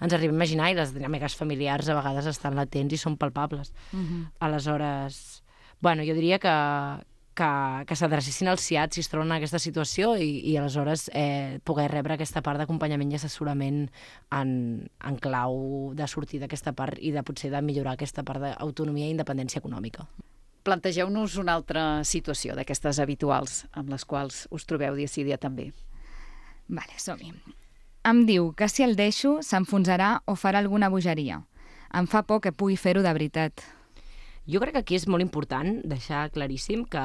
ens arribem a imaginar i les dinàmiques familiars a vegades estan latents i són palpables. Aleshores, bueno, jo diria que s'adrecessin al SIAD si es troben en aquesta situació i aleshores poder rebre aquesta part d'acompanyament i assessorament en clau de sortir d'aquesta part i de potser de millorar aquesta part d'autonomia i independència econòmica. Plantegeu-nos una altra situació d'aquestes habituals amb les quals us trobeu dia sí dia també. Vale, som-hi. Em diu que si el deixo s'enfonsarà o farà alguna bogeria. Em fa por que pugui fer-ho de veritat. Jo crec que aquí és molt important deixar claríssim que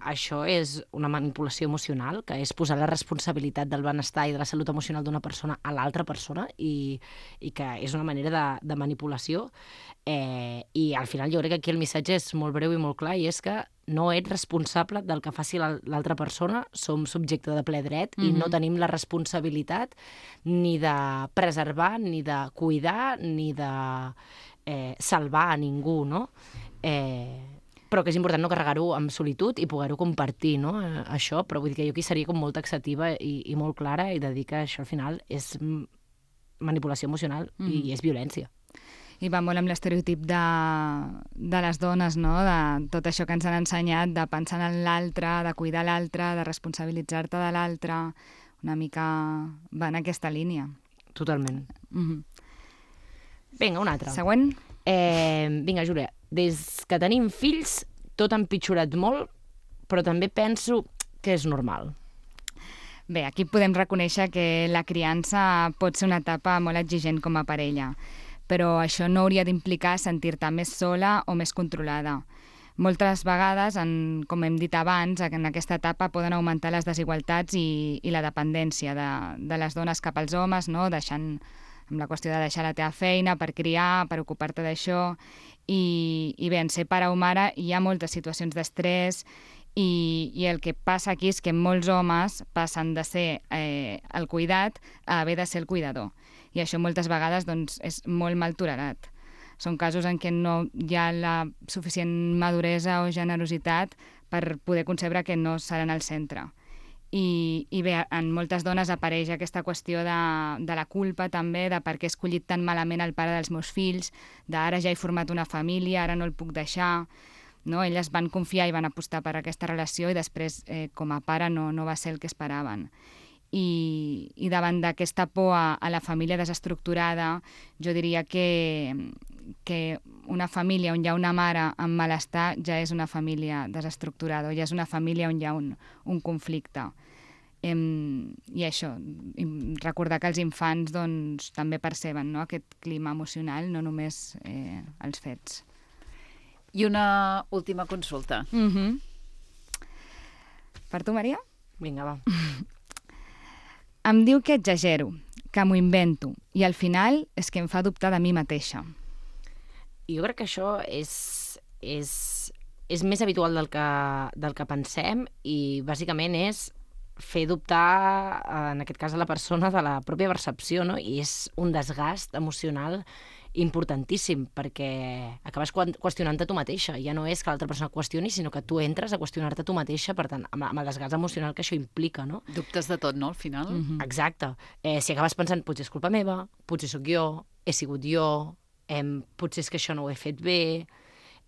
això és una manipulació emocional, que és posar la responsabilitat del benestar i de la salut emocional d'una persona a l'altra persona i que és una manera de manipulació. I al final jo crec que aquí el missatge és molt breu i molt clar, i és que no ets responsable del que faci l'altra persona, som subjecte de ple dret i no tenim la responsabilitat ni de preservar, ni de cuidar, ni de salvar a ningú, no? Però que és important no carregar-ho amb solitud i poder-ho compartir, no? Això, però vull dir que jo aquí seria com molt taxativa i molt clara i de dir que això al final és manipulació emocional i és violència. I va molt amb l'estereotip de les dones, no? De tot això que ens han ensenyat, de pensar en l'altre, de cuidar l'altre, de responsabilitzar-te de l'altre, una mica va en aquesta línia. Totalment. Vinga, una altra. Següent. Vinga, Júlia, des que tenim fills tot ha empitjorat molt, però també penso que és normal. Bé, aquí podem reconèixer que la criança pot ser una etapa molt exigent com a parella, però això no hauria d'implicar sentir-te més sola o més controlada. Moltes vegades, com hem dit abans, en aquesta etapa poden augmentar les desigualtats i la dependència de les dones cap als homes, no? Amb la qüestió de deixar la teva feina per criar, per ocupar-te d'això. I bé, en ser pare o mare hi ha moltes situacions d'estrès i el que passa aquí és que molts homes passen de ser el cuidat a haver de ser el cuidador. I això moltes vegades doncs, és molt mal tolerat. Són casos en què no hi ha la suficient maduresa o generositat per poder concebre que no seran al centre. I bé, en moltes dones apareix aquesta qüestió de la culpa també, de per què he escollit tan malament el pare dels meus fills, d'ara ja he format una família, ara no el puc deixar. No? Elles van confiar i van apostar per aquesta relació i després com a pare no va ser el que esperaven. I davant d'aquesta por a la família desestructurada, jo diria que una família on hi ha una mare amb malestar ja és una família desestructurada, ja és una família on hi ha un conflicte. I això, recordar que els infants doncs, també perceben, no? Aquest clima emocional, no només els fets. I una última consulta. Per tu, Maria? Vinga, va. Em diu que exagero, que m'ho invento, i al final és que em fa dubtar de mi mateixa. Jo crec que això és més habitual del que pensem i bàsicament és fer dubtar, en aquest cas, a la persona de la pròpia percepció, no? I és un desgast emocional importantíssim, perquè acabes qüestionant-te tu mateixa. Ja no és que l'altra persona qüestioni, sinó que tu entres a qüestionar-te tu mateixa, per tant, amb el desgast emocional que això implica, no? Dubtes de tot, no, al final? Exacte. Si acabes pensant, potser és culpa meva, potser sóc jo, he sigut jo, potser és que això no ho he fet bé.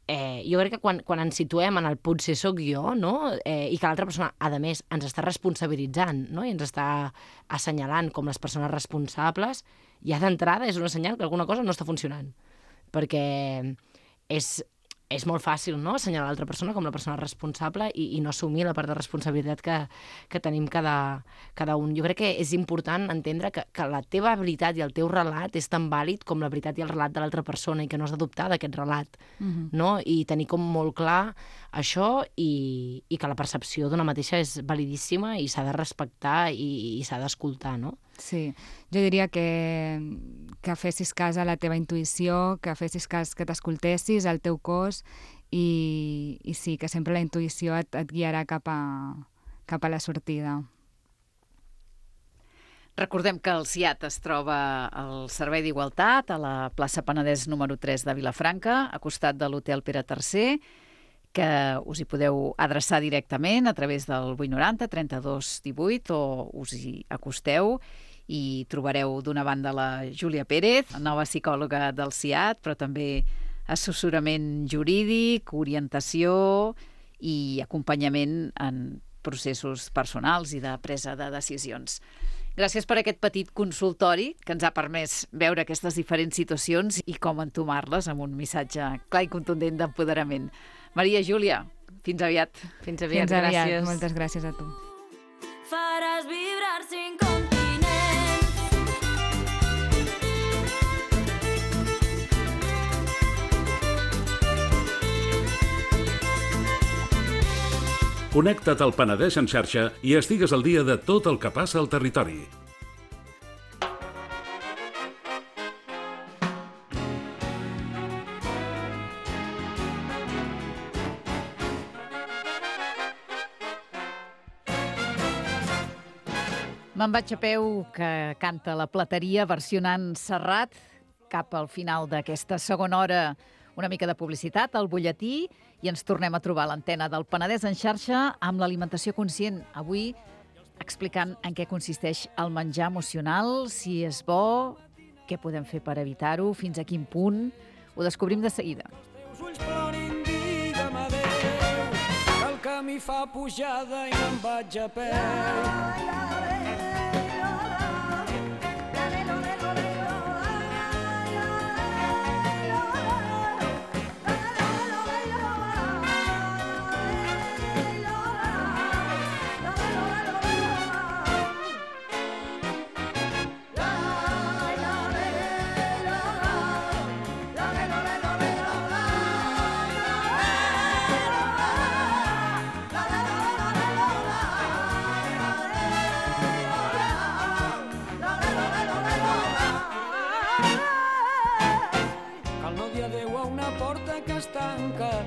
Jo crec que quan ens situem en el potser sóc jo, no? I que l'altra persona, a més, ens està responsabilitzant, no? I ens està assenyalant com les persones responsables, ja d'entrada és una senyal que alguna cosa no està funcionant. Perquè és molt fàcil, no?, assenyalar l'altra persona com la persona responsable i no assumir la part de responsabilitat que tenim cada un. Jo crec que és important entendre que la teva veritat i el teu relat és tan vàlid com la veritat i el relat de l'altra persona i que no has de dubtar d'aquest relat, no? I tenir com molt clar això i que la percepció d'una mateixa és validíssima i s'ha de respectar i s'ha d'escoltar, no? Sí, jo diria que fessis cas a la teva intuïció, que fessis cas, que t'escoltessis, al teu cos i sí, que sempre la intuïció et guiarà cap a la sortida. Recordem que el CIAT es troba al Servei d'Igualtat, a la plaça Penedès número 3 de Vilafranca, a costat de l'Hotel Pere III, que us hi podeu adreçar directament a través del 890 32 18 o us hi acosteu i trobareu d'una banda la Júlia Pérez, nova psicòloga del CIAT, però també assessorament jurídic, orientació i acompanyament en processos personals i de presa de decisions. Gràcies per aquest petit consultori que ens ha permès veure aquestes diferents situacions i com entomar-les amb un missatge clar i contundent d'empoderament. Maria, Júlia, fins aviat. Fins aviat, gràcies. Moltes gràcies a tu. Faràs vibrar 5 continents. Connecta't al Penedès en xarxa i estigues al dia de tot el que passa al territori. Me'n vaig a peu, que canta la Plateria versionant Serrat. Cap al final d'aquesta segona hora, una mica de publicitat, el butlletí, i ens tornem a trobar a l'antena del Penedès en xarxa amb l'alimentació conscient. Avui explicant en què consisteix el menjar emocional, si és bo, què podem fer per evitar-ho, fins a quin punt. Ho descobrim de seguida. Els ulls plorin, digue'm adéu, que el camí fa pujada i me'n vaig a peu.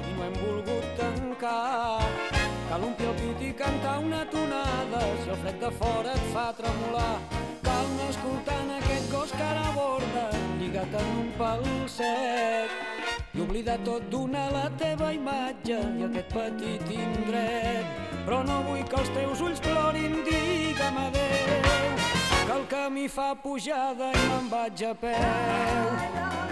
I no hem volgut tancar. Cal omplir el pit i cantar una tonada si el fred de fora et fa tremolar. Cal anar escoltant aquest gos que ara borda, lligat en un pal sec, i oblidar tot, donar la teva imatge i aquest petit indret. Però no vull que els teus ulls plorin, digue'm adéu, que el camí fa pujada i me'n vaig a peu.